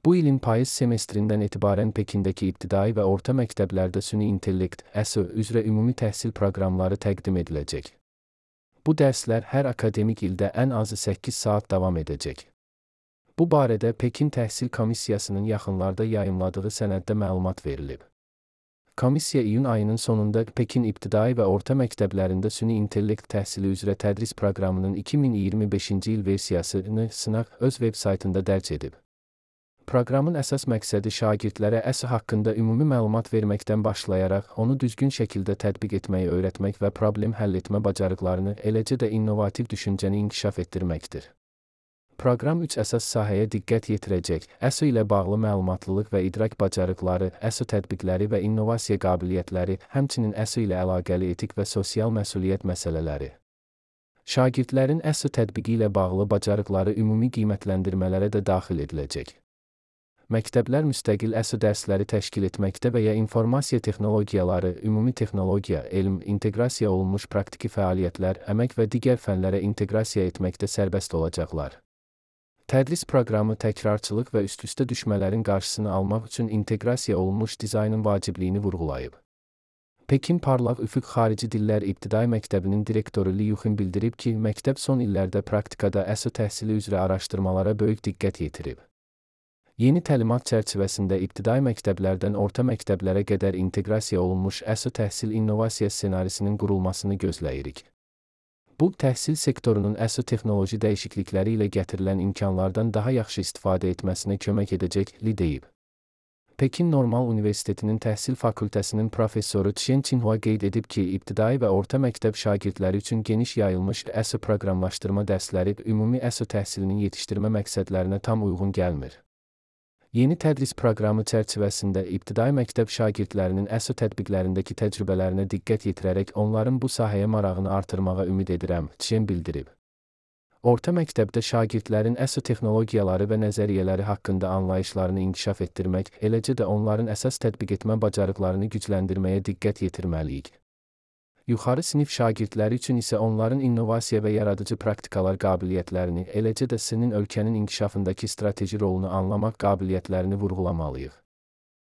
Bu ilin payız semestrindən etibarən Pekindəki ibtidai və orta məktəblərdə süni intellekt, SO üzrə ümumi təhsil proqramları təqdim ediləcək. Bu dərslər hər akademik ildə ən azı 8 saat davam edəcək. Bu barədə Pekin Təhsil Komissiyasının yaxınlarda yayımladığı sənəddə məlumat verilib. Komissiya iyun ayının sonunda Pekin ibtidai və orta məktəblərində süni intellekt təhsili üzrə tədris proqramının 2025-ci il versiyasını sınaq öz veb-saytında dərc edib. Proqramın əsas məqsədi şagirdlərə SO haqqında ümumi məlumat verməkdən başlayaraq, onu düzgün şəkildə tətbiq etməyi öyrətmək və problem həll etmə bacarıqlarını, eləcə də innovativ düşüncəni inkişaf etdirməkdir. Proqram 3 əsas sahəyə diqqət yetirəcək: SO ilə bağlı məlumatlılıq və idrak bacarıqları, SO tətbiqləri və innovasiya qabiliyyətləri, həmçinin SO ilə əlaqəli etik və sosial məsuliyyət məsələləri. Şagirdlərin SO tətbiqi ilə bağlı bacarıqları ümumi qiymətləndirmələrə də daxil ediləcək. Məktəblər müstəqil SO dərsləri təşkil etməkdə və ya informasiya texnologiyaları, ümumi texnologiya, elm, inteqrasiya olunmuş praktiki fəaliyyətlər, əmək və digər fənlərə inteqrasiya etməkdə sərbəst olacaqlar. Tədris proqramı təkrarçılıq və üst-üstə düşmələrin qarşısını almaq üçün inteqrasiya olunmuş dizaynın vacibliyini vurğulayıb. Pekin Parlaq Üfüq Xarici Dillər İbtidai Məktəbinin direktoru Li Yuxin bildirib ki, məktəb son illərdə praktikada SO təhsili üzrə araşdırmalara böyük diqqət yetirib. Yeni təlimat çərçivəsində ibtidai məktəblərdən orta məktəblərə qədər inteqrasiya olunmuş SO təhsil innovasiya ssenarisinin qurulmasını gözləyirik. Bu, təhsil sektorunun SO texnoloji dəyişiklikləri ilə gətirilən imkanlardan daha yaxşı istifadə etməsinə kömək edəcək, Li deyib. Pekin Normal Universitetinin Təhsil Fakültəsinin professoru Chen Qinhua qeyd edib ki, ibtidai və orta məktəb şagirdləri üçün geniş yayılmış SO proqramlaşdırma dərsləri ümumi SO təhsilinin yetişdirmə məqsədlərinə tam uyğun gəlmir. Yeni tədris proqramı çərçivəsində ibtidai məktəb şagirdlərinin SO tətbiqlərindəki təcrübələrinə diqqət yetirərək onların bu sahəyə marağını artırmağa ümid edirəm, Chen bildirib. Orta məktəbdə şagirdlərin SO texnologiyaları və nəzəriyyələri haqqında anlayışlarını inkişaf etdirmək, eləcə də onların əsas tətbiq etmə bacarıqlarını gücləndirməyə diqqət yetirməliyik. Yuxarı sinif şagirdləri üçün isə onların innovasiya və yaradıcı praktikalar qabiliyyətlərini, eləcə də sənin ölkənin inkişafındakı strateji rolunu anlamaq qabiliyyətlərini vurğulamalıyıq.